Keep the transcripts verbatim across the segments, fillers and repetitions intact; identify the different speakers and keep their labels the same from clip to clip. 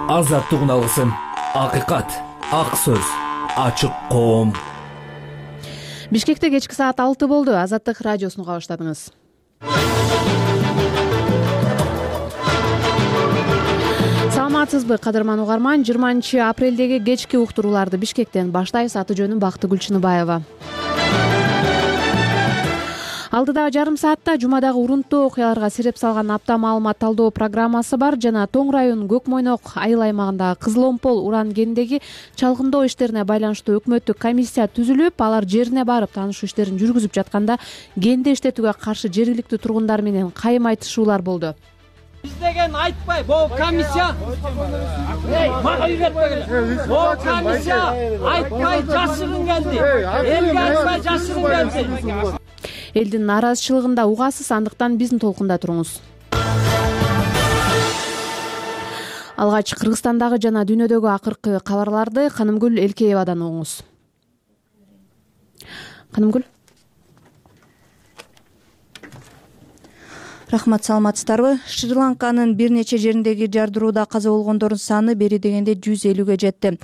Speaker 1: азаттыгын алгысың. Акыйкат, ак сөз, ачык коом.
Speaker 2: Бишкекте кечки саат алты болду. Азаттык радиосуну уга баштадыңыз. Саламатсызбы, кадырман угарман? жыйырманчы апрелдеги кечки уктурууларды Бишкектен баштайбыз. Аты жөнүм Бакыты Гүлчыныбаева. Алдыдагы жарым саатта жумадагы урунттуу окуяларга сереп салган апта маалымат талдоо программасы бар жана Тоң район Көкмойнок айыл аймагындагы Кызыл Омпол уран кенидеги чалгындоо иштерине байланыштуу өкмөттүк комиссия түзүлүп, алар жерине барып таанышуу иштерин жүргүзүп жатканда кенди иштетүүгө каршы жергиликтүү тургундар менен кайым айтышуулар болду.
Speaker 3: Биз деген айтпай, бул комиссия мага үйрөтпөгүлө. Бул комиссия айтпай жашырын келди. Элге айтпай жашырын келди.
Speaker 2: Элдин нааразычылыгында угасыз, андыктан биздин толкунда туруңуз. Алгач Кыргызстандагы жана дүйнөдөгү акыркы кабарларды Канымгүл Элкеевадан угуңуз. Канымгүл.
Speaker 4: Рахмат, саламатсыздарбы? Шри-Ланканын бир нече жериндеги жардырууда каза болгондордун саны бери дегенде жүз элүүгө жетти.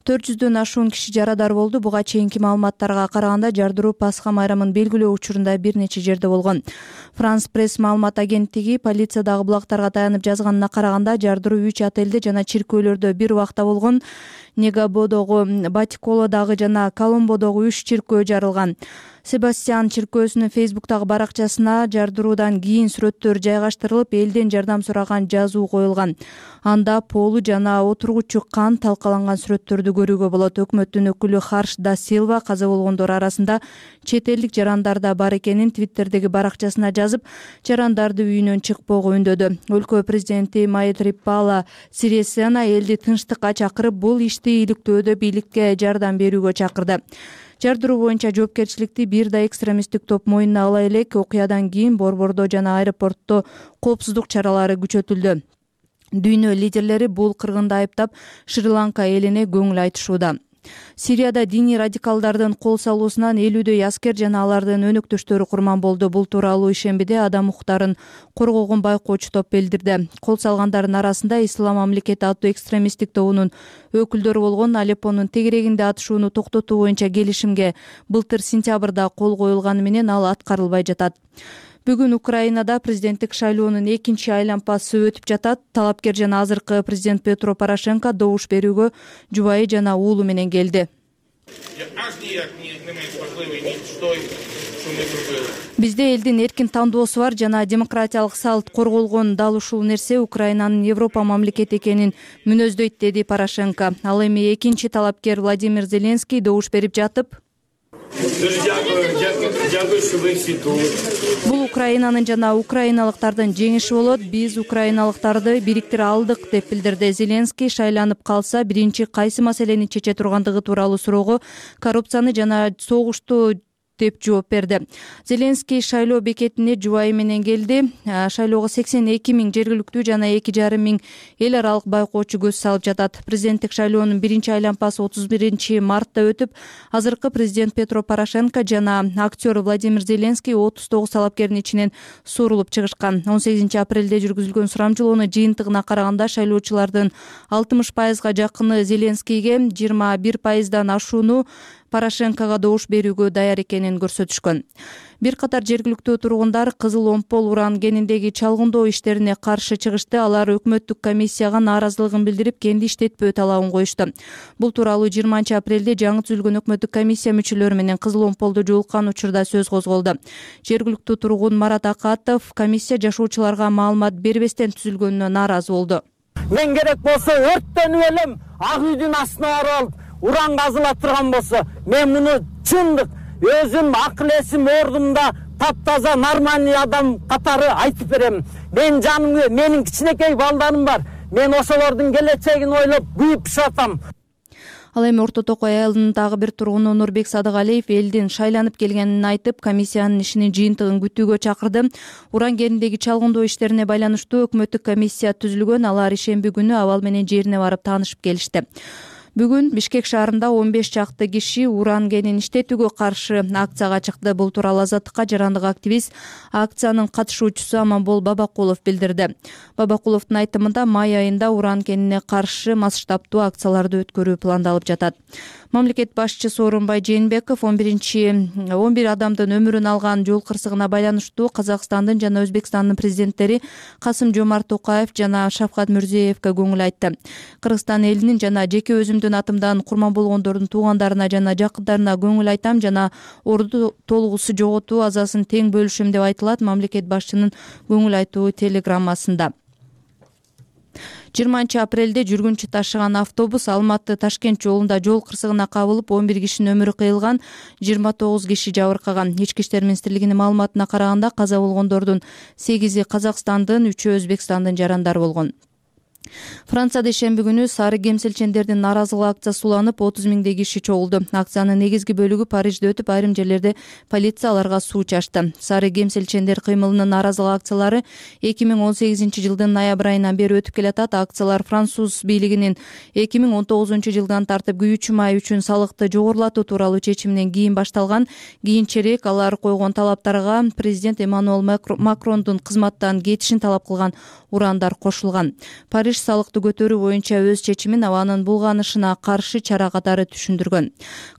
Speaker 4: төрт жүздөн ашуун киши жарадар болду. Буга чейинки маалыматтарга караганда жардыруу Пасха майрамын белгилөө учурунда бир нече жерде болгон. Франс пресс маалымат агенттиги полициядагы булактарга таянып жазганына караганда жардыруу үч отелде жана чиркөөлөрдө бир убакта болгон. Негабодогу, Батиколодагы жана Коломбодогу үч чиркөө жарылган. Себастьян чиркөөсүнүн Фейсбуктагы баракчасына жардыруудан кийин сүрөттөр жайгаштырылып, элден жардам сураган жазуу коюлган. Анда полу жана отургучу кан талкаланган сүрөттөрдү көрүүгө болот. Өкмөттүн өкүлү Харш да Силва каза болгондор арасында чет элдик жарандар да бар экенин Твиттердеги баракчасына жазып, жарандарды үйүнөн чыкпоого үндөдү. Өлкө президенти Майтрипала Сирисена элди тынчтыкка чакырып, бул ишти иликтөөдө бийликке жардам берүүгө чакырды. Жардыруу боюнча жоопкерчиликти бир да экстремисттик топ мойнуна ала элек. Окуядан кийин борбордо жана аэропортто коопсуздук чаралары күчөтүлдү. Дүйнө лидерлери бул кыргынды айыптап, Шри-Ланка элине көңүл айтышууда. Сирияда диний радикалдардын кол салуусунан элүүдөй аскер жана алардын өнөктөштөрү курман болду. Бул тууралуу ишембиде адам укуктарын коргогон байкоочу топ билдирди. Кол салгандардын арасында Ислам мамлекети аттуу экстремисттик тобунун өкүлдөрү болгон. Алеппонун тегерегинде атышууну токтотуу боюнча келишимге былтыр сентябрда кол коюлганы менен ал аткарылбай жатат. Бүгүн Украинада президенттик шайлоонун экинчи айлампасы өтүп жатат. Талапкер жана азыркы президент Петро Порошенко добуш берүүгө жубайы жана уулу менен келди. Бизде элдин эркин тандоосу бар жана демократиялык салт корголгон дал ушул нерсе Украинанын Европа мамлекети экенин мүнөздөйт, деди Порошенко. Ал эми экинчи талапкер Владимир Зеленский добуш берип жатып, бул Украинанын жана украиналыктардын жеңиши болот. Биз украиналыктарды бириктире алдык, деп билдирди. Зеленский шайланып калса биринчи кайсы маселени чече тургандыгы тууралуу суроого коррупцияны жана согушту деп жооп берди. Зеленский шайлоо бекетине жубайы менен келди. Шайлоого сексен эки миң жергиликтүү жана эки жарым миң эл аралык байкоочу көз салып жатат. Президенттик шайлоонун биринчи айлампасы отуз биринчи мартта өтүп, азыркы президент Петро Порошенко жана актер Владимир Зеленский отуз тогуз талапкердин ичинен суурулуп чыгышкан. он сегизинчи апрелде жүргүзүлгөн сурамжылоонун жыйынтыгына караганда шайлоочулардын алтымыш пайызга жакыны Зеленскийге, жыйырма бир пайыздан ашууну Порошенкого добуш берүүгө даяр экенин көрсөтүшкөн. Бир катар жергиликтүү тургундар Кызыл Омпол уран кенидеги чалгындоо иштерине каршы чыгышты. Алар өкмөттүк комиссияга нааразылыгын билдирип, кенди иштетпөө талабын коюшту. Бул тууралуу жыйырманчы апрелде жаңы түзүлгөн өкмөттүк комиссия мүчөлөрү менен Кызыл Омполду жолуккан учурда сөз козголду. Жергиликтүү тургун Марат Акатов комиссия жашоочуларга маалымат бербестен түзүлгөнүнө нааразы болду.
Speaker 3: Мен керек болсо өрттөнүп элем, ак үйдүн астына барып алып уран казыла турган болсо, мен муну чындык өзүм акыл эсим ордумда таптаза нормальный адам катары айтып берем. Мен жаным, менин кичинекей балдарым бар. Мен ошолордун келечегин ойлоп күйүп жатам.
Speaker 4: Ал эми Орто Токой айылынын дагы бир тургуну Нурбек Садыгалиев элдин шайланып келгенин айтып, комиссиянын ишинин жыйынтыгын күтүүгө чакырды. Уран кенидеги чалгындоо иштерине байланыштуу өкмөттүк комиссия түзүлгөн. Алар ишемби күнү абал менен жерине барып таанышып келишти. Бүгүн Бишкек шаарында он беш чакты киши уран кенин иштетүүгө каршы акцияга чыкты. Бул тууралуу Азаттыкка жарандык активист, акциянын катышуучусу Аманбол Бабакулов билдирди. Бабакуловдун айтымында май айында уран кенине каршы масштабтуу акцияларды өткөрүү пландалып жатат. Мамлекет башчысы Сооронбай Жээнбеков он биринчи он бир адамдын өмүрүн алган жол кырсыгына байланыштуу Казакстандын жана Өзбекстандын президенттери Касым-Жомарт Токаев жана Шавкат Мирзиевке көңүл айтты. Кыргызстан элинин жана жеке өзүмдүн атымдан курман болгондордун туугандарына жана жакындарына көңүл айтам жана орду толугусу жоготуу азасын тең бөлүшөм деп айтылат мамлекет башчынын көңүл айтуу телеграммасында. жыйырманчы апрелде жүргүнчү ташыган автобус Алматы Ташкент жолунда жол кырсыгына кабылып он бир кишинин өмүрү кыйылган, жыйырма тогуз киши жабыркаган. Ички иштер министрлигинин маалыматына караганда каза болгондордун сегизи Казакстандын, үчөө Өзбекстандын жарандары болгон. Францияда шемби күнү сары кемсилчендердин нааразылык акциясы уланып, отуз миңдей киши чогулду. Акциянын негизги бөлүгү Парижде өтүп, айрым жерлерде полиция аларга суу чачты. Сары кемсилчендер кыймылынын нааразылык акциялары эки миң он сегизинчи жылдын ноябрь айынан бери өтүп келатат. Акциялар француз бийлигинин эки миң он тогузунчу жылдан тартып күйүүчү май үчүн салыкты жогорулатуу тууралуу чечиминен кийин башталган. Кийинчерээк алар койгон талаптарга президент Эммануэл Макрондун кызматтан кетишин талап кылган урандар кошулган. Париж салыкты көтөрүү боюнча өз чечимин абанын булганышына каршы чара катары түшүндүргөн.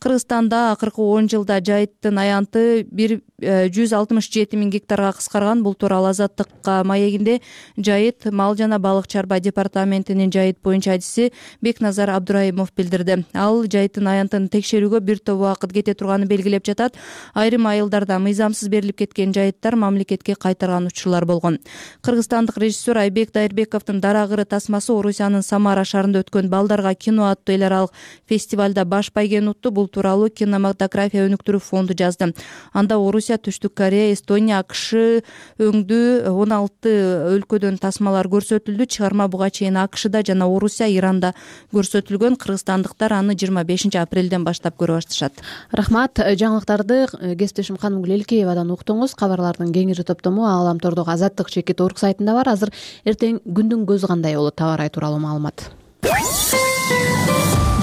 Speaker 4: Кыргызстанда акыркы он жылда жайыттын аянты бир жүз алтымыш жети миң гектарга кыскарган. Бул тууралуу Азаттыкка маегинде жайыт мал жана балык чарба департаментинин жайыт боюнча адиси Бекназар Абдурайымов билдирди. Ал жайыттын аянтын текшерүүгө бир топ убакыт кете турганын белгилеп жатат. Айрым айылдарда мыйзамсыз берилип кеткен жайыттар мамлекетке кайтарган учурлар болгон. Кыргызстандык режиссер Айбек Дайырбековдун Дарагыры тасмасы Орусиянын Самара шаарында өткөн Балдарга кино аттуу эл аралык фестивалда баш байгени утту. Бул тууралуу кинематография өнүктүрүү фонду жазды. Анда Орусия, Түштүк Корея, Эстония, АКШ өңдүү он алты өлкөдөн тасмалар көрсөтүлдү. Чыгарма буга чейин АКШда жана Орусия, Иранда көрсөтүлгөн. Кыргызстандыктар аны жыйырма бешинчи апрелден баштап көрө башташат.
Speaker 2: Рахмат. Жаңылыктарды кесиптешим Канымгүл Элкеевадан уктуңуз. Кабарлардын кеңири топтому Ааламтордогу Азаттык чекит орг сайтында бар. Азыр эртең күндүн көзү кандай болот табар ай тууралуу маалымат.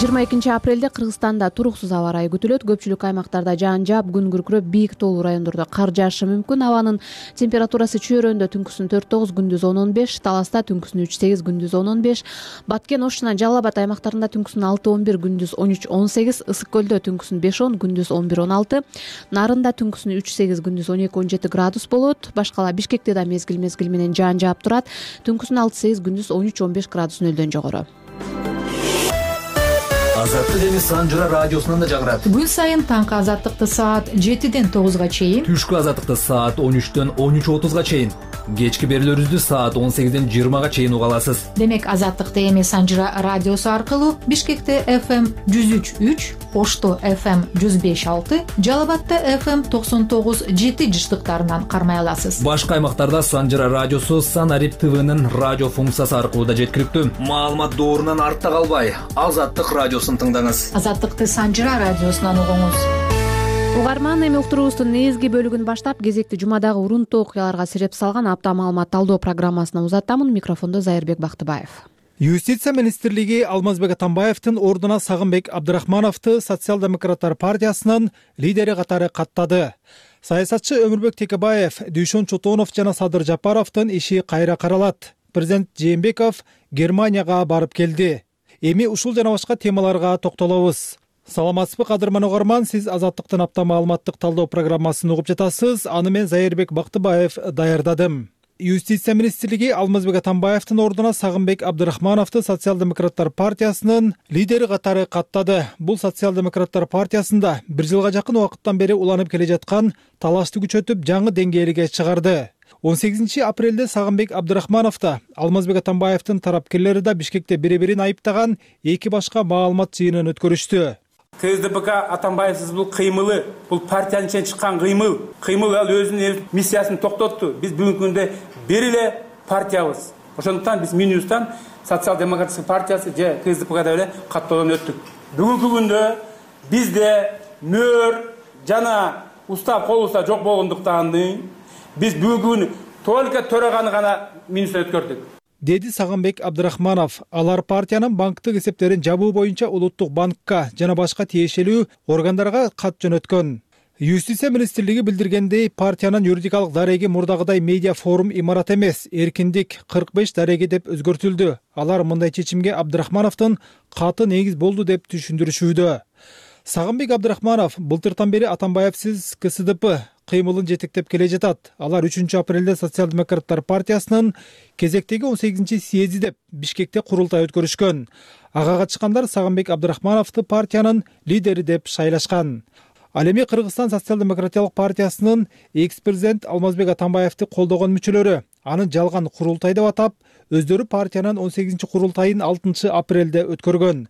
Speaker 2: жыйырма экинчи апрелде Кыргызстанда туруксуз аба ырайы күтүлөт. Көпчүлүк аймактарда жаан жаап, күн күркүрөп, бийик тоолуу райондордо кар жаашы мүмкүн. Абанын температурасы Чөйрөндө түнкүсүн төрт тогуз, күндүз он он беш, Таласта түнкүсүн үч сегиз, күндүз он он беш, Баткен, Ош жана Жалал Абад аймактарында түнкүсүн алты он бир, күндүз он үч он сегиз, Ысык көлдө түнкүсүн беш он, күндүз он бир он алты, Нарында түнкүсүн үч сегиз, күндүз он эки он жети градус болот. Башкала Бишкекте да мезгил мезгил менен жаан жаап турат. Түнкүсүн алты сегиз, күндүз он үч он беш градус нөлдөн жогору.
Speaker 1: Азаттык эми Санжыра радиосунан да жаңырат.
Speaker 5: Күн сайын таңкы азаттыкты саат жетиден тогузга чейин,
Speaker 1: Түшкү азаттыкты саат он үчтөн он үч отузга чейин, кечки берүүлөрүбүздү саат он сегизден жыйырмага чейин уга аласыз.
Speaker 5: Демек азаттыкты эми Санжыра радиосу аркылуу Бишкекте эф эм жүз үч үч, Ошто эф эм жүз беш алты, Жалал Абадта эф эм токсон тогуз жети жыштыктарынан кармай аласыз.
Speaker 1: Башка аймактарда Санжыра радиосу Санарип ТВнын радио функциясы аркылуу да жеткиликтүү. Маалымат доорунан артта калбай, Азаттык радиосун тыңдаңыз.
Speaker 5: Азаттыкты Санжыра радиосунан угуңуз.
Speaker 2: Угарман, эми уктуруубуздун негизги бөлүгүн баштап кезекти жумадагы урунтуу окуяларга сиреп салган апта маалымат талдоо программасына узатамын. Микрофондо Зайырбек Бактыбаев.
Speaker 6: Юстиция министрлиги Алмазбек Атамбаевдин ордуна Сагынбек Абдрахмановду Социал-демократтар партиясынын лидери катары каттады. Саясатчы Өмүрбек Текебаев, Дүйшөн Чотонов жана Садыр Жапаровдун иши кайра каралат. Президент Жээнбеков Германияга барып келди. Эми ушул жана башка темаларга токтолобуз. Саламатсызбы кадырман угарман, сиз Азаттыктын апта маалыматтык талдоо программасын угуп жатасыз. Аны мен Зайырбек Бактыбаев даярдадым. Юстиция министрлиги Алмазбек Атамбаевдин ордуна Сагынбек Абдрахмановду Социал-демократтар партиясынын лидери катары каттады. Бул Социал-демократтар партиясында бир жылга жакын убакыттан бери уланып келе жаткан талашты күчөтүп, жаңы деңгээлге чыгарды. он сегизинчи апрелде Сагынбек Абдрахманов да, Алмазбек Атамбаевдин тарапкерлери да Бишкекте бири-бирин айыптаган эки башка маалымат жыйынын өткөрүштү.
Speaker 7: КСДПК Атамбаевсиз бул кыймылы, бул партиянын ичинен чыккан кыймыл. Кыймыл ал өзүнүн миссиясын токтотту. Биз бүгүнкү күндө бир эле партиябыз. Ошондуктан биз Минюстан Социал-демократический партиясы же КСДПКда эле каттоодон өттүк. Бүгүнкү күндө бизде мөр жана устав кол уста жок болгондуктан биз бүгүн только төраганы гана Минюстан өткөрдүк.
Speaker 6: деди Сагынбек Абдрахманов. Алар партиянын банктык эсептерин жабуу боюнча улуттук банкка жана башка тиешелүү органдарга кат жөнөткөн. Юстиция министрлиги билдиргендей, партиянын юридикалык дареги мурдагыдай медиа форум имарат эмес, эркиндик кырк беш дареги деп өзгөртүлдү. Алар мындай чечимге Абдрахмановдун каты негиз болду деп түшүндүрүшүүдө. Сагынбек Абдрахманов былтыртан бери Атамбаевсиз ка эс дэ пэ кыймылын жетектеп келе жатат. Алар үчүнчү апрелде Социал-демократтар партиясынын кезектеги он сегизинчи съезди деп Бишкекте курултай өткөрүшкөн. Ага катышкандар Сагынбек Абдрахмановду партиянын лидери деп шайлашкан. Ал эми Кыргызстан социал-демократиялык партиясынын экс-президент Алмазбек Атамбаевди колдогон мүчөлөрү анын жалган курултай деп атап, өздөрү партиянын он сегизинчи курултайын алтынчы апрелде өткөргөн.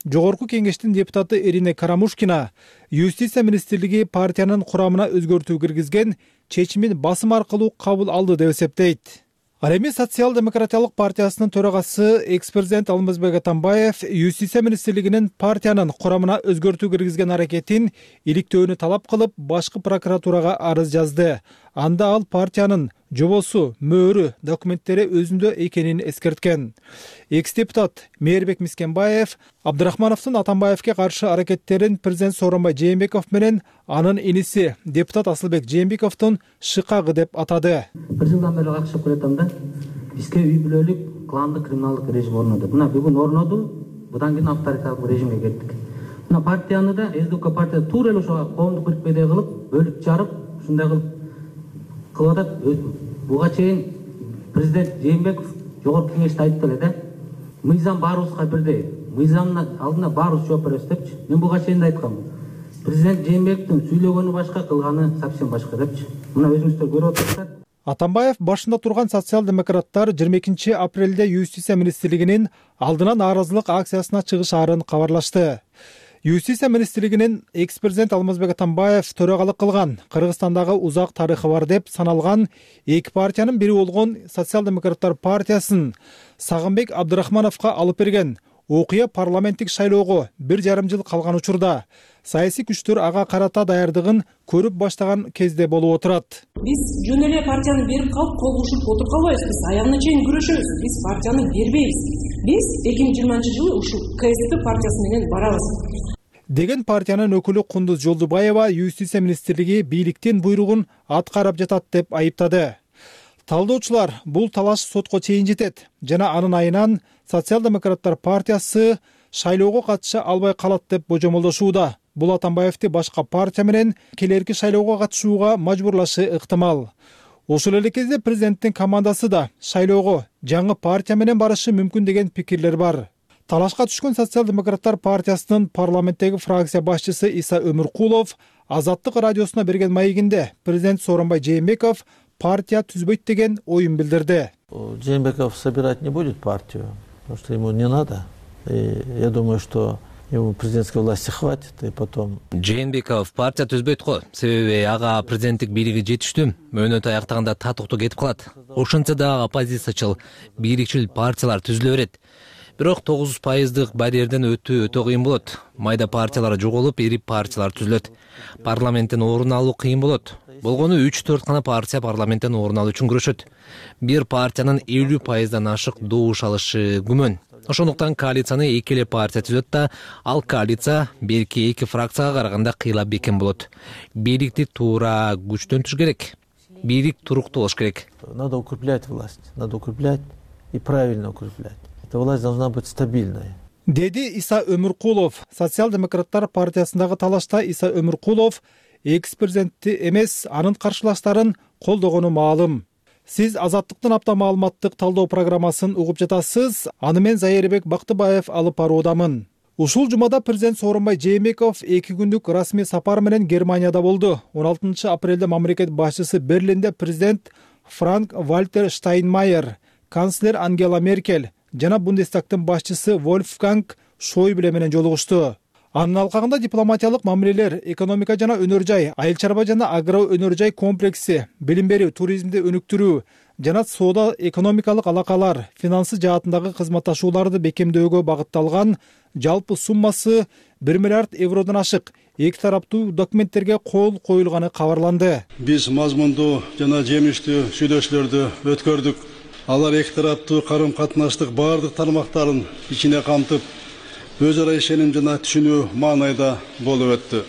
Speaker 6: Жогорку кеңештин депутаты Ирина Карамушкина Юстиция министрлиги партиянын курамына өзгөртүү киргизген чечимин басым аркылуу кабыл алды деп эсептейт. Ал эми Социал-демократиялык партиясынын төрагасы экс-президент Алмазбек Атамбаев Юстиция министрлигинин партиянын курамына өзгөртүү киргизген аракетин иликтөөнү талап кылып, башкы прокуратурага арыз жазды. Анда ал партиянын жобосу, мөөрү, документтери өзүндө экенин эскерткен. Экс-депутат Мээрбек Мискенбаев Абдрахмановдун Атамбаевге каршы аракеттерин президент Сооронбай Жээнбеков менен анын иниси депутат Асылбек Жээнбековдун шыкагы деп атады.
Speaker 8: Бир жылдан бери какшап келатам да, бизге үй бүлөлүк кландык криминалдык режим орноду. Мына бүгүн орноду, будан кийин авторитарлык режимге кеттик. Мына партияны да эс дэ пэ партия туура эле ошо коомдук бирикмедей кылып, бөлүп жарып, ушундай кылып кылып атат. Буга чейин президент Жээнбеков жогорку кеңеште айтты эле да, мыйзам баарыбызга бирдей, мыйзамдын алдына баарыбыз жооп беребиз депчи. Мен буга чейин да айткам. Президент Жээнбековдун сүйлөгөнү башка, кылганы совсем башка депчи. Мына өзүңүздөр көрүп атасыздар.
Speaker 6: Атамбаев башында турган социал-демократтар жыйырма экинчи апрелде Юстиция министрлигинин алдынан нааразылык акциясына чыгышаарын кабарлашты. Юстиция министрлигинин экс-президент Алмазбек Атамбаев төрагалык кылган Кыргызстандагы узак тарыхы бар деп саналган эки партиянын бири болгон Социал-демократтар партиясын Сагынбек Абдрахмановго алып берген окуя парламенттик шайлоого бир жарым жыл калган учурда саясий күчтөр ага карата даярдыгын көрүп баштаган кезде болуп отурат.
Speaker 9: Биз жөн эле партияны берип калып, кол кушуп отуруп калбайбыз. Биз аягына чейин күрөшөбүз. Биз партияны бербейбиз. Биз эки миң жыйырманчы жылы ушул ка эс дэ партиясы менен барабыз
Speaker 6: деген партиянын өкүлү Кундуз Жолдубаева Юстиция министрлиги бийликтин буйругун аткарып жатат деп айыптады. Талдоочулар бул талаш сотко чейин жетет жана анын айынан Социал-демократтар партиясы шайлоого катыша албай калат деп божомолдошууда. Бул Атамбаевди башка партия менен келерки шайлоого катышууга мажбурлашы ыктымал. Ошол эле кезде президенттин командасы да шайлоого жаңы партия менен барышы мүмкүн деген пикирлер бар. Талашка түшкөн Социал-демократтар партиясынын парламенттеги фракция башчысы Иса Өмүркулов Азаттык радиосуна берген маегинде президент Сооронбай Жээнбеков партия түзбөйт деген оюн билдирди.
Speaker 10: Жээнбеков собирать не будет партию, потому что ему не надо. И я думаю, что ему президентской власти хватит, и потом...
Speaker 1: Жээнбеков партия түзбөйт го, себеби ага президенттик бийлиги жетиштүү, мөөнөтү аяктаганда татыктуу кетип калат. Ошентсе да оппозициячыл, бийликчил партиялар түзүлө берет. Бирок тогуз пайыздык барьерден өтүү өтө кыйын болот. Майда партиялар жоголуп, ири партиялар түзүлөт. Парламенттен орун алуу кыйын болот. Болгону үч төрт гана партия парламенттен орун алуу үчүн күрөшөт. Бир партиянын элүү пайыздан ашык добуш алышы күмөн. Ошондуктан коалицияны эки эле партия түзөт да, ал коалиция берки эки фракцияга караганда кыйла бекем болот. Бийликти туура күчтөнтүш керек. Бийлик туруктуу болуш керек.
Speaker 10: Надо укреплять власть, надо укреплять и правильно укреплять. Эта власть должна быть стабильной.
Speaker 6: Деди Иса Өмүркулов. Социал-демократтар партиясындагы талашта Иса Өмүркулов экс-президентти эмес, анын каршылаштарын колдогону маалым. Сиз Азаттыктын апта маалыматтык талдоо программасын угуп жатасыз. Аны мен Зайырбек Бактыбаев алып баруудамын. Ушул жумада президент Сооронбай Жээнбеков эки күндүк расмий сапар менен Германияда болду. он алтынчы апрелде мамлекет башчысы Берлинде президент Франк Вальтер Штайнмайер, канцлер Ангела Меркель жана Бундестагтын башчысы Вольфганг Шойбле менен жолугушту. Анын алкагында дипломатиялык мамилелер, экономика жана өнөр жай, айыл чарба жана агро өнөр жай комплекси, билим берүү, туризмди өнүктүрүү жана соода экономикалык алакалар, финансы жаатындагы кызматташууларды бекемдөөгө багытталган жалпы суммасы бир миллиард евродон ашык эки тараптуу документтерге кол коюлганы кабарланды.
Speaker 11: Биз мазмундуу жана жемиштүү сүйлөшүүлөрдү өткөрдүк. Алар эки тараптуу карым катнаштык бардык тармактарын ичине камтып, өз ара ишеним жана түшүнүү маанайда болуп өттү.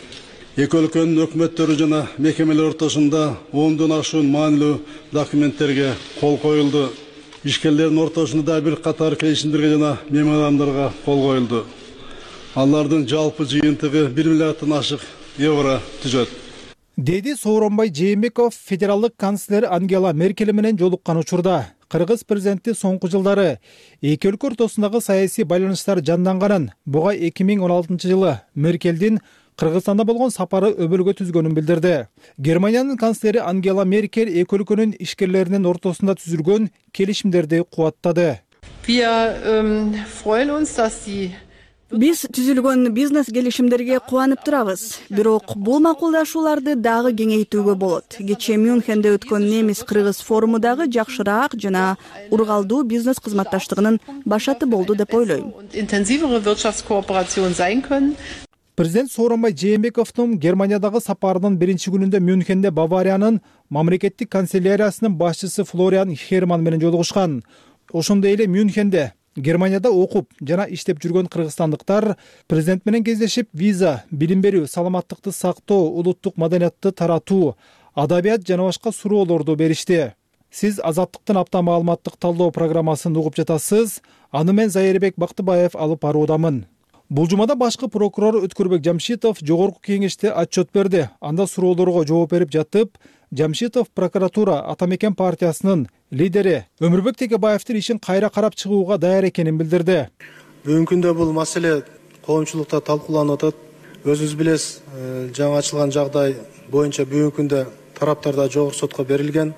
Speaker 11: Эки өлкөнүн өкмөттөрү жана мекемелер ортосунда ондон ашуун маанилүү документтерге кол коюлду. Ишкерлердин ортосунда да бир катар келишимдерге жана меморандумдарга кол коюлду. Алардын жалпы жыйынтыгы бир миллиарддан ашык евро түзөт.
Speaker 6: Деди Сооронбай Жээнбеков федералдык канцлер Ангела Меркель менен жолуккан учурда Кыргыз президенти соңку жылдары эки өлкө ортосундагы саясий байланыштар жанданганын, буга эки миң он алтынчы жылы Меркелдин Кыргызстанда болгон сапары өбөлгө түзгөнүн билдирди. Германиянын канцлери Ангела Меркель эки өлкөнүн ишкерлеринин ортосунда түзүлгөн келишимдерди кубаттады.
Speaker 12: Биз түзүлгөн бизнес келишимдерге кубанып турабыз. Бирок бул макулдашууларды дагы кеңейтүүгө болот. Кечээ Мюнхенде өткөн немис-кыргыз форуму дагы жакшыраак жана ургалдуу бизнес кызматташтыгынын башаты болду деп ойлойм.
Speaker 6: Президент Сооронбай Жээнбековдун Германиядагы сапарынын биринчи күнүндө Мюнхенде Бавариянын мамлекеттик канцеляриясынын башчысы Флориан Херман менен жолугушкан. Ошондой эле Мюнхенде Германияда окуп жана иштеп жүргөн кыргызстандыктар президент менен кездешип, виза, билим берүү, саламаттыкты сактоо, улуттук маданиятты таратуу, адабият жана башка суроолорду беришти. Сиз Азаттыктын апта маалыматтык талдоо программасын угуп жатасыз. Аны мен Зайырбек Бактыбаев алып баруудамын. Бул жумада башкы прокурор Өткөрбек Жамшитов жогорку кеңеште отчет берди. Анда суроолорго жооп берип жатып, Жамшитов прокуратура Ата Мекен партиясынын лидери Өмүрбек Текебаевдин ишин кайра карап чыгууга даяр экенин билдирди.
Speaker 13: Бүгүнкү күндө бул маселе коомчулукта талкууланып атат. Өзүңүз билесиз, жаңы ачылган жагдай боюнча бүгүнкү күндө тараптарда жогорку сотко берилген.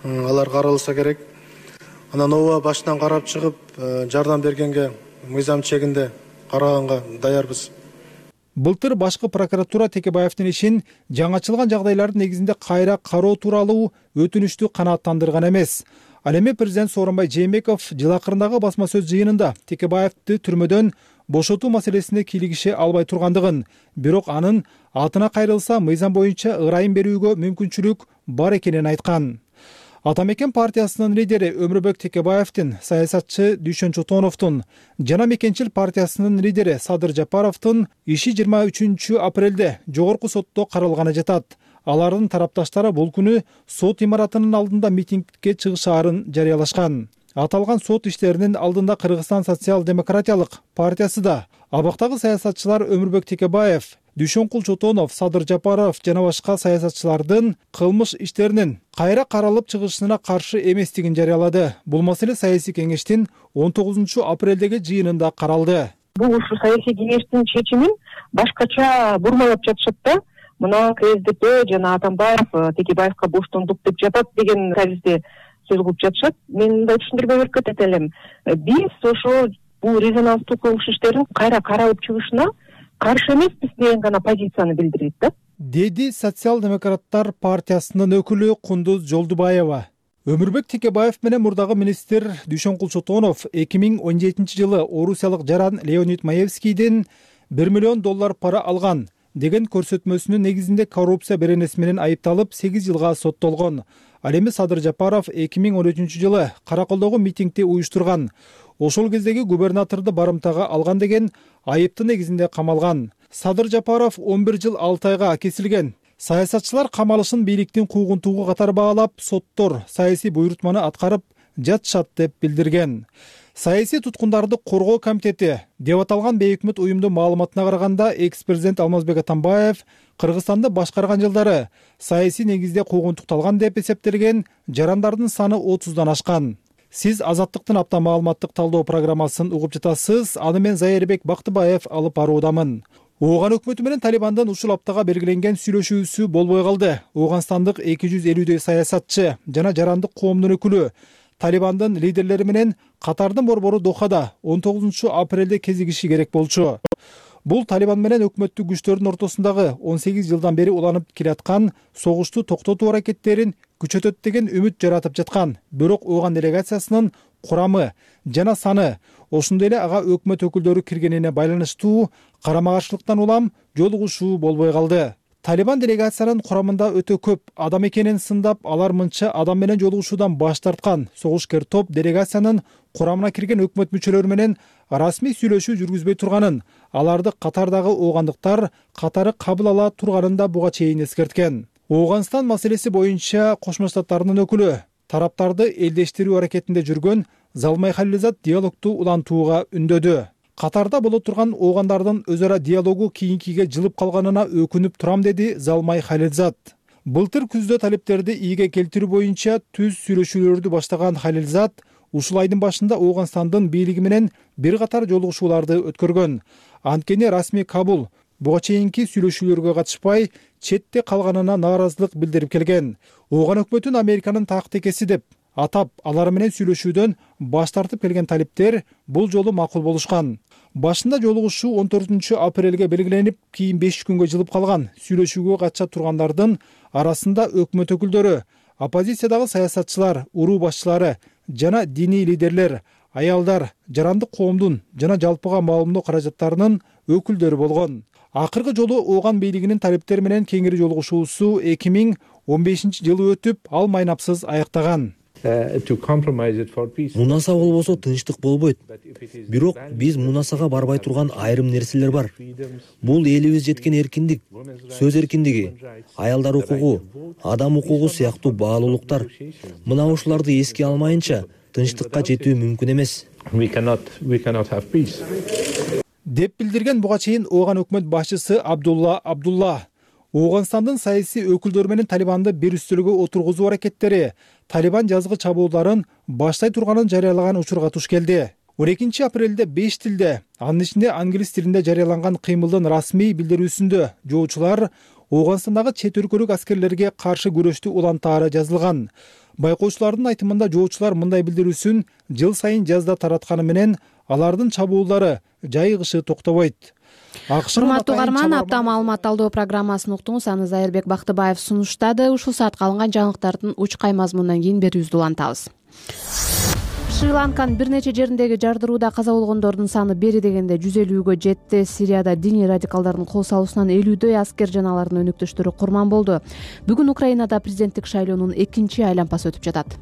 Speaker 13: Алар каралса керек. Анан ооба башынан карап чыгып, жардам бергенге мыйзам чегинде караганга даярбыз.
Speaker 6: Былтыр башкы прокуратура Текебаевдин ишин жаңы ачылган жагдайлардын негизинде кайра кароо тууралуу өтүнүштү канааттандырган эмес. Ал эми президент Сооронбай Жээнбеков жыл акырындагы басма сөз жыйынында Текебаевди түрмөдөн бошотуу маселесине кийлигише албай тургандыгын, бирок анын атына кайрылса мыйзам боюнча ырайым берүүгө мүмкүнчүлүк бар экенин айткан. Ата Мекен партиясынын лидери Өмүрбек Текебаевдин, саясатчы Дүйшөн Чотоновдун жана Мекенчил партиясынын лидери Садыр Жапаровдун иши жыйырма үчүнчү апрелде жогорку сотто каралганы жатат. Алардын тарапташтары бул күнү сот имаратынын алдында митингге чыгышаарын жарыялашкан. Аталган сот иштеринин алдында Кыргызстан социал-демократиялык партиясы да, абактагы саясатчылар Өмүрбек Текебаев, Дүйшөнкул Чотонов, Садыр Жапаров жана башка саясатчылардын кылмыш иштеринин кайра каралып чыгышына каршы эместигин жарыялады. Бул маселе саясий кеңештин он тогузунчу апрелдеги жыйынында каралды.
Speaker 14: Бул ушу саясий кеңештин чечимин башкача бурмалап жатышат да. Мына КСДП жана Атамбаев Текебаевка боштондук деп жатат деген табизде сөз кылып жатышат. Мен мындай түшүндүрмө берип кетет элем. Биз ошо бул резонанстуу кылмыш иштерин кайра каралып чыгышына каршы эмеспиз деген гана позицияны билдирет да.
Speaker 6: Деди социал-демократтар партиясынын өкүлү Кундуз Жолдубаева. Өмүрбек Текебаев менен мурдагы министр Дүйшөнкул Чотонов эки миң он жетинчи жылы орусиялык жаран Леонид Маевскийден бир миллион доллар пара алган деген көрсөтмөсүнүн негизинде коррупция беренеси менен айыпталып сегиз жылга соттолгон. Ал эми Садыр Жапаров эки миң он үчүнчү жылы Караколдогу митингди уюштурган. Ошол кездеги губернаторду барымтага алган деген айыптын негизинде камалган. Садыр Жапаров он бир жыл алты айга кесилген. Саясатчылар камалышын бийликтин куугунтугу катары баалап, соттор саясий буйрутманы аткарып жатышат деп билдирген. Саясий туткундарды коргоо комитети деп аталган бейөкмөт уюмдун маалыматына караганда, экс-президент Алмазбек Атамбаев Кыргызстанды башкарган жылдары саясий негизде куугунтукталган деп эсептелген жарандардын саны отуздан ашкан. Сиз Азаттыктын апта маалыматтык талдоо программасын угуп жатасыз. Аны мен Зайырбек Бактыбаев алып баруудамын. Ооган өкмөтү менен Талибандын ушул аптага белгиленген сүйлөшүүсү болбой калды. Оогандстандык эки жүз элүүдөй саясатчы жана жарандык коомдун өкүлү Талибандын лидерлери менен Катардын борбору Дохада он тогузунчу апрелде кезигиши керек болчу. Бул Талибан менен өкмөттүк күчтөрдүн ортосундагы он сегиз жылдан бери уланып келаткан согушту токтотуу аракеттерин күчөтөт деген үмүт жаратып жаткан. Бирок Ооган делегациясынын курамы жана саны, ошондой эле ага өкмөт өкүлдөрү киргенине байланыштуу карама каршылыктан улам жолугушуу болбой калды. Талибан делегациянын курамында өтө көп адам экенин сындап, алар мынча адам менен жолугушуудан баш тарткан. Согушкер топ делегациянын курамына кирген өкмөт мүчөлөрү менен расмий сүйлөшүү жүргүзбөй турганын, аларды катардагы оогандыктар катары кабыл ала турганын да буга чейин эскерткен. Ооганстан маселеси боюнча Кошмо Штаттардын өкүлү тараптарды элдештирүү аракетинде жүргөн Залмай Халилзад диалогту улантууга үндөдү. Катарда боло турган оогандардын өз ара диалогу кийинкиге жылып калганына өкүнүп турам, деди Залмай Халилзад. Былтыр күздө талептерди ийге келтирүү боюнча түз сүйлөшүүлөрдү баштаган Халилзад ушул айдын башында Ооганстандын бийлиги менен бир катар жолугушууларды өткөргөн. Анткени расмий Кабул буга чейинки сүйлөшүүлөргө катышпай четте калганына нааразылык билдирип келген. Ооган өкмөтүн Американын тактикеси деп атап, алар менен сүйлөшүүдөн баш тартып келген талиптер бул жолу макул болушкан. Башында жолугушуу он төртүнчү апрелге белгиленип, кийин беш күнгө жылып калган. Сүйлөшүүгө катыша тургандардын арасында өкмөт өкүлдөрү, оппозициядагы саясатчылар, уруу башчылары жана диний лидерлер, аялдар, жарандык коомдун жана жалпыга маалымдоо каражаттарынын өкүлдөрү болгон. Акыркы жолу Ооган бийлигинин талептери менен кеңири жолугушуусу эки миң он бешинчи жылы өтүп, ал майнапсыз аяктаган.
Speaker 15: Мунаса болбосо тынчтык болбойт. Бирок биз мунасага барбай турган айрым нерселер бар. Бул элибиз жеткен эркиндик, сөз эркиндиги, аялдар укугу, адам укугу сыяктуу баалуулуктар. Мына ушуларды эске алмайынча тынчтыкка жетүү мүмкүн эмес.
Speaker 6: Деп билдирген буга чейин Ооган өкмөт башчысы Абдулла Абдулла. Ооганстандын саясий өкүлдөрү менен Талибанды бир үстөлгө отургузуу аракеттери Талибан жазгы чабуулдарын баштай турганын жарыялаган учурга туш келди. он экинчи апрелде беш тилде, анын ичинде англис тилинде жарыяланган кыймылдын расмий билдирүүсүндө жоочулар Ооганстандагы чет өлкөлүк аскерлерге каршы күрөштү улантаары жазылган. Байкоочулардын айтымында жоочулар мындай билдирүүсүн жыл сайын жазда таратканы менен алардын чабуулдары жайыгышы токтобойт.
Speaker 2: Урматтуу угарман, апта маалымат талдоо программасын уктуңуз. Аны Зайырбек Бактыбаев сунуштады. Ушул саатка алынган жаңылыктардын учкай мазмунунан кийин берүүбүздү улантабыз. Шри-Ланканын бир нече жериндеги жардырууда каза болгондордун саны бери дегенде жүз элүүгө жетти. Сирияда диний радикалдардын кол салуусунан элүүдөй аскер жана алардын өнөктөштөрү курман болду. Бүгүн Украинада президенттик шайлоонун экинчи айлампасы өтүп жатат.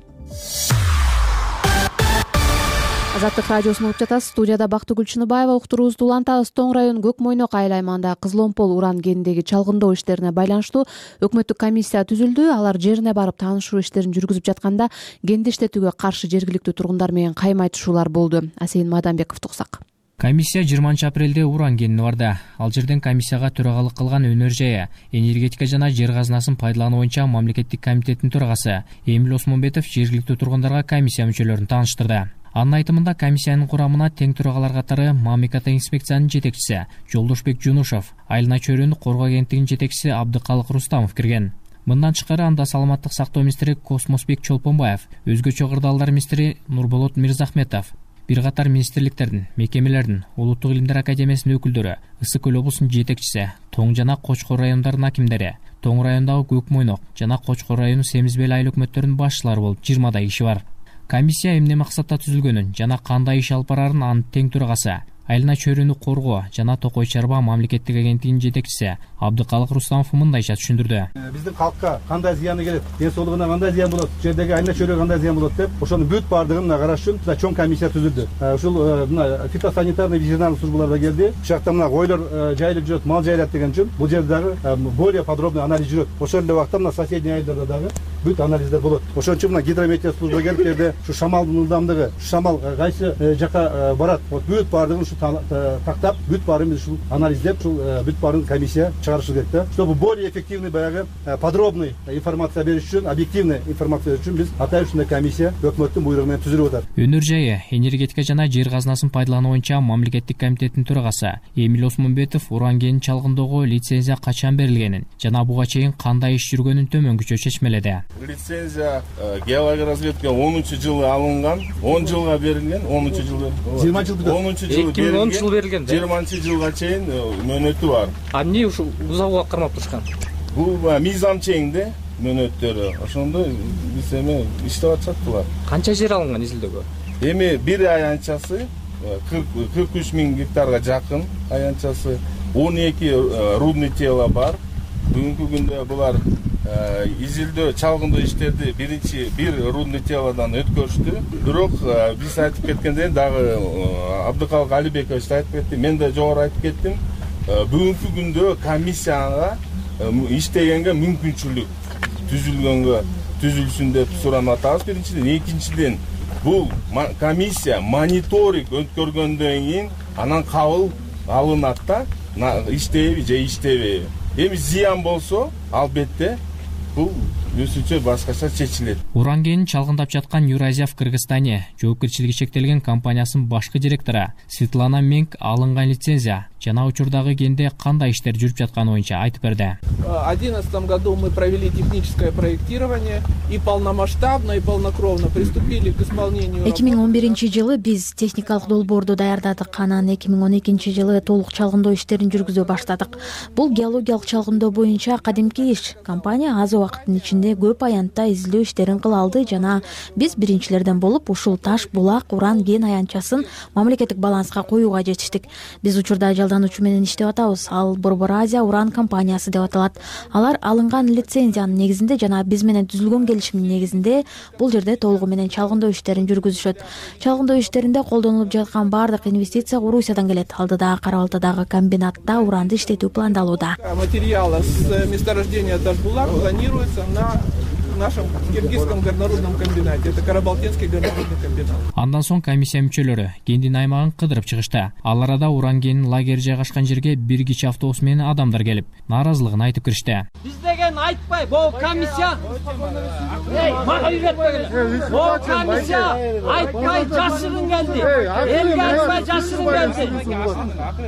Speaker 2: Азаттык радиосун угуп жатасыз. Студияда Бактыгүл Чыныбаева. Уктуруубузду улантабыз. Тоң район Көк Мойнок айыл аймагында Кызыломпол уран кенидеги чалгындоо иштерине байланыштуу өкмөттүк комиссия түзүлдү. Алар жерине барып таанышуу иштерин жүргүзүп жатканда кенди иштетүүгө каршы жергиликтүү тургундар менен кайым айтышуулар болду. Асейин Мадамбеков туксак.
Speaker 16: Комиссия жыйырманчы апрелде уран кенине барды. Ал жерден комиссияга төрагалык кылган Өнөр Жая, энергетика жана жер казынасын пайдалануу боюнча мамлекеттик комитеттин төрагасы Эмил Осмонбетов жергиликтүү тургундарга комиссия мүчөлөрүн тааныштырды. Анын айтымында комиссиянын курамына тең төрагалар катары Мамиката инспекциянын жетекчиси Жолдошбек Жунушов, Айылна чөйрөнү коргоо агенттигинин жетекчиси Абдыкалык Рустамов кирген. Мындан тышкары анда саламаттык сактоо министри Космосбек Чолпонбаев, өзгөчө кырдаалдар министри Нурболот Мирзахметов, бир катар министрликтердин, мекемелердин, Улуттук илимдер академиясынын өкүлдөрү, Ысык көл облусунун жетекчиси, Тоң жана Кочкор райондорунун акимдери, Тоң районундагы Көк Мойнок жана Кочкор району Семизбел айыл өкмөттөрүнүн башчылары болуп жыйырмадай киши бар. Комиссия эмне максатта түзүлгөнүн жана кандай иш алып барарын анын тең төрагасы Айылна чөйрөнү коргоо жана Токой Чарба мамлекеттик агенттигинин жетекчиси Абдыкалык Рустамов мындайча түшүндүрдү.
Speaker 17: Биздин калкка кандай зыяны келет, ден соолугуна кандай зыян болот, жердеги айылна чөйрөгө кандай зыян болот деп, ошонун бүт баардыгын караш үчүн мына чоң комиссия түзүлдү. Ушул мына фитосанитарный ветеринарлык службалар да келди. Бул жакта мына койлор жайылып жүрөт, мал жайлат деген үчүн бул жерде дагы более подробный анализ жүрөт. Ошол эле убакта мына соседний айылдарда дагы бүт анализдер болот. Ошон үчүн мына гидрометео служба келип жерде ушу шамалдын ылдамдыгы, шамал кайсы жака барат, вот бүт баардыгын ушу тактап, бүт баарын ушул анализдеп, ушул бүт баарын комиссия чыгарышы керек да. Чтобы более эффективный баягы подробный информация бериш үчүн, объективный информация бериш үчүн биз атайын ушундай комиссия өкмөттүн буйругу менен түзүлүп атат.
Speaker 16: Өнөр Жайы, энергетика жана жер казынасын пайдалануу боюнча мамлекеттик комитеттин төрагасы Эмил Осмонбетов уран кенин чалгындоого лицензия качан берилгенин жана буга чейин кандай иш жүргөнүн төмөнгүчө чечмеледи.
Speaker 18: Лицензия геология разведка онунчу жылы алынган, он жылга берилген, онунчу жылы.
Speaker 17: жыйырманчы жыл
Speaker 18: онунчу жылы
Speaker 19: эки миң онунчу жылы берилген.
Speaker 18: жыйырманчы жылга чейин мөөнөтү бар.
Speaker 19: А эмне ушул бузабууга кармап турушкан?
Speaker 18: Бул мыйзам чейинде мөөнөттөрү. Ошондо биз эми иштеп атышаттылар.
Speaker 19: Канча жер алынган изилдөөгө?
Speaker 18: Эми бир аянтчасы кырк үч миң гектарга жакын аянтчасы, он эки рудный тело бар. бүгүнкү күндө булар изилдөө чалгындоо иштерди биринчи бир рудный телодан өткөрүштү. Бирок биз айтып кеткендей дагы Абдыкалык Алибекович да айтып кетти, мен да жогору айтып кеттим. Бүгүнкү күндө комиссияга иштегенге мүмкүнчүлүк түзүлгөнгө түзүлсүн деп суранып атабыз биринчиден. Экинчиден, бул комиссия мониторинг өткөргөндөн кийин анан кабыл алынат да, иштейби же иштебейби. Эми зыян болсо, албетте бул өзүнчө башкача чечилет.
Speaker 16: Уран кенин чалгындап жаткан Юразия в Кыргызстане жоопкерчилиги чектелген компаниясынын башкы директору Светлана Менг алынган лицензия жана учурдагы кенде кандай иштер жүрүп жатканы боюнча айтып берди.
Speaker 20: В две тысячи одиннадцатом году мы провели техническое проектирование и полномасштабно и полнокровно приступили к исполнению.
Speaker 21: эки миң он биринчи жылы биз техникалык долбоорду даярдадык, анан эки миң он экинчи жылы толук чалгындоо иштерин жүргүзө баштадык. Бул геологиялык чалгындоо боюнча кадимки иш. Компания аз убакыттын ичинде көп аянтта изилдөө иштерин кыла алды жана биз биринчилерден болуп ушул таш, булак, уран кен аянтчасын мамлекеттик баланска коюуга жетиштик. Биз учурда жалдануучу менен иштеп атабыз. Ал Борбор Азия уран компаниясы деп аталат. Алар алынган лицензиянын негизинде жана биз менен түзүлгөн келишимдин негизинде бул жерде толугу менен чалгындоо иштерин жүргүзүшөт. Чалгындоо иштеринде колдонулуп жаткан баардык инвестиция Орусиядан келет. Алдыда Кара Балтадагы комбинатта уранды иштетүү пландалууда.
Speaker 20: Материалы с месторождения Таш-Булак планируется на нашем киргизском горнорудном комбинате. Это Карабалтинский горнорудный комбинат.
Speaker 16: Андан соң комиссия мүчөлөрү кендин аймагын кыдырып чыгышты. Ал арада уран кенинин лагери жайгашкан жерге бир кичи автобус менен адамдар келип, нааразылыгын айтып киришти.
Speaker 3: Биз деген айтпай, бул комиссия мага үйрөтпөгүлө. Бул комиссия айтпай жашырын келди. Элге айтпай жашырын келди.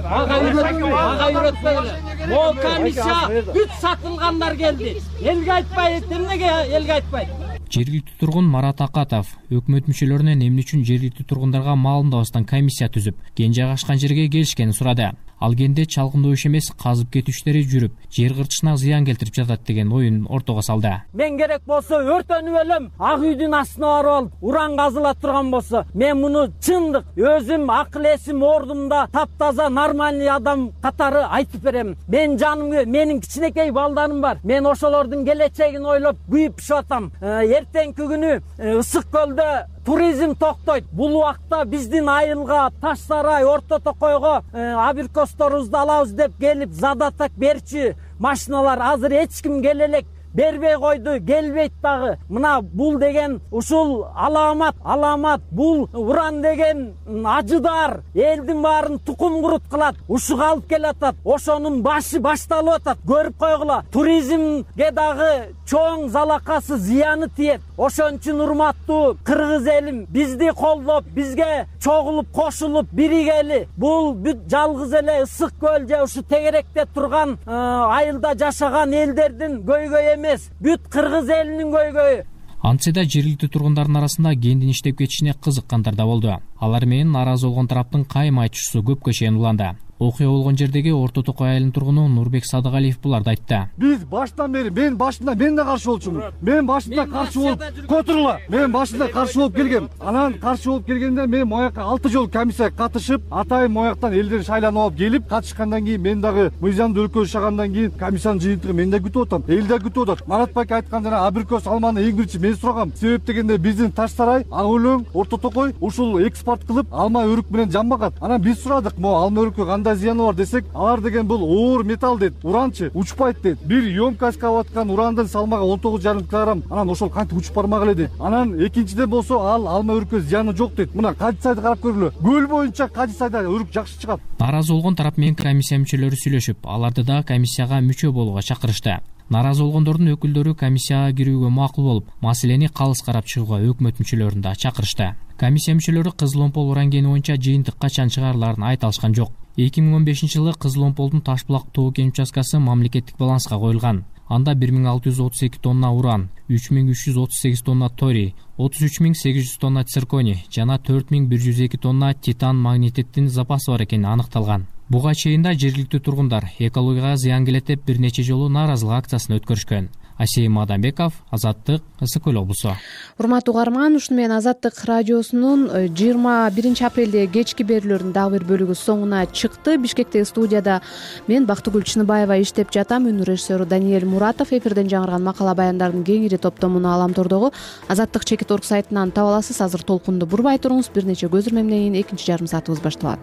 Speaker 3: Мага үйрөтпөгүлө. Бул комиссия бүт сатылгандар келди. Элге айтпай, эмнеге элге айтпайт?
Speaker 16: Жергиликтүү тургун Марат Акатов өкмөт мүчөлөрүнөн эмне үчүн жергиликтүү тургундарга маалымдабастан комиссия түзүп, кен жайгашкан жерге келишкенин сурады. Ал кенде чалгындоо иш эмес, казып кетүү иштери жүрүп, жер кыртышына зыян келтирип жатат деген оюн ортого салды.
Speaker 3: Мен керек болсо өртөнүп элем, ак үйдүн астына барып алып, уран казыла турган болсо, мен муну чындык өзүм акыл эсим ордумда таптаза нормальный адам катары айтып берем. Мен жаным, менин кичинекей балдарым бар. Мен ошолордун келечегин ойлоп күйүп пишип атам. Эртеңки күнү Ысык көлдө туризм токтойт. Бул убакта биздин айылга, Таш Сарай, Орто Токойго абиркосторубузду алабыз деп келип задатак берчү машиналар азыр эч ким келе элек бербей койду, келбейт дагы. Мына бул деген ушул аламат, аламат бул уран деген ажыдар, элдин баарын тукум курут кылат, ушуга алып келатат. Ошонун башы башталып атат. Көрүп койгула. Туризмге дагы чоң залакасы, зыяны тиет. Ошон үчүн урматтуу кыргыз элим, бизди колдоп, бизге чогулуп, кошулуп, биригели. Бул бүт жалгыз эле Ысык көл же ушу тегеректе турган айылда жашаган элдердин көйгөйү эмес, бүт кыргыз элинин көйгөйү.
Speaker 16: Антсе да жергиликтүү тургундардын арасында кендин иштеп кетишине кызыккандар да болду. Алар менен нааразы болгон тараптын кайым айтышуусу көпкө чейин уланды. Окуя болгон жердеги Орто Токой айылынын тургуну Нурбек Садыгалиев буларды айтты.
Speaker 17: Биз баштан бери, мен башында мен да каршы болчумун. Мен башында каршы болуп, котурла. Мен башында каршы болуп келгем. Анан каршы болуп келгенде мен мояка алты жолу комиссияга катышып, атайын мояктан элдер шайланып алып келип, катышкандан кийин мен дагы мыйзамды өлкө жашагандан кийин комиссиянын жыйынтыгы мен да күтүп атам. Эл да күтүп атат. Марат байке айткан жана абрикос алманы эң биринчи мен сурагам. Себеп дегенде биздин Таш Сарай, Ак өлөң, Орто Токой ушул экспорт кылып, алма өрүк менен жамбагат. Анан биз сурадык, мо алма өрүккө кандай зыяны бар десек, алар деген бул оор металл дейт, уранчы учпайт дейт. Бир емкость аткан урандын салмагы он тогуз жарым килограмм. Анан ошол кантип учуп бармак эле дейт. Анан экинчиден болсо ал алма өрүккө зыяны жок дейт. Мына Кадисайды карап көргүлө. Көл боюнча Кадисайда өрүк жакшы чыгат.
Speaker 16: Нааразы болгон тарап менен комиссия мүчөлөрү сүйлөшүп, аларды да комиссияга мүчө болууга чакырышты. Нааразы болгондордун өкүлдөрү комиссияга кирүүгө макул болуп, маселени калыс карап чыгууга өкмөт мүчөлөрүн да чакырышты. Комиссия мүчөлөрү Кызыл Омпол уран кени боюнча жыйынтык качан чыгарыларын айта алышкан жок. эки миң он бешинчи жылы Кызыл Омполдун Таш-Булак тоо кен участкасы мамлекеттик баланска коюлган. Анда бир миң алты жүз отуз эки тонна уран, үч миң үч жүз отуз сегиз тонна торий, отуз үч миң сегиз жүз тонна цирконий жана төрт миң бир жүз эки тонна титан магнетиттин запасы бар экени аныкталган. Буга чейин да жергиликтүү тургундар экологияга зыян келет деп бир нече жолу нааразылык акциясын өткөрүшкөн. Асейим Адамбеков, Азаттык, Ысык Көл облусу.
Speaker 2: Урматтуу угарман, ушуну менен Азаттык радиосунун жыйырма биринчи апрелде кечки берүүлөрүнүн дагы бир бөлүгү соңуна чыкты. Бишкектеги студияда мен Бактыгүл Чыныбаева иштеп жатам. Үнү режиссеру Даниэль Муратов. Эфирден жаңырган макала баяндардын кеңири топтомуну Аламтордогу Азаттык чекит орг сайтынан таба аласыз. Азыр толкунду бурбай туруңуз. Бир нече көзүрмемден кийин экинчи жарым саатыбыз башталат.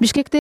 Speaker 2: Бишкекте